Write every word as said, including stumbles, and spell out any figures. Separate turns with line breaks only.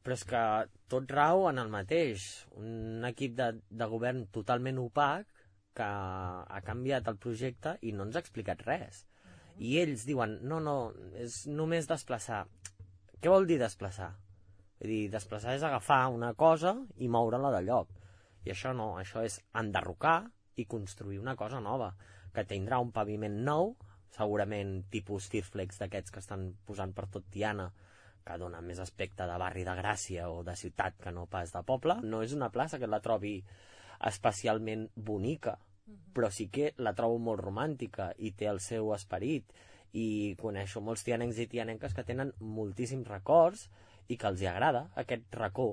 Però és que tot rau en el mateix. Un equip de, de govern totalment opac que ha canviat el projecte i no ens ha explicat res. I ells diuen, no, no, és només desplaçar. Què vol dir desplaçar? Vull dir, desplaçar és agafar una cosa i moure-la de lloc. I això no, això és enderrocar i construir una cosa nova, que tindrà un paviment nou, segurament tipus Tirflex d'aquests que estan posant per tot Tiana, que dona més aspecte de barri de Gràcia o de ciutat que no pas de poble. No és una plaça que la trobi especialment bonica, però sí que la trobo molt romàntica i té el seu esperit, i coneixo molts tianencs i tianenques que tenen moltíssims records i que els hi agrada aquest racó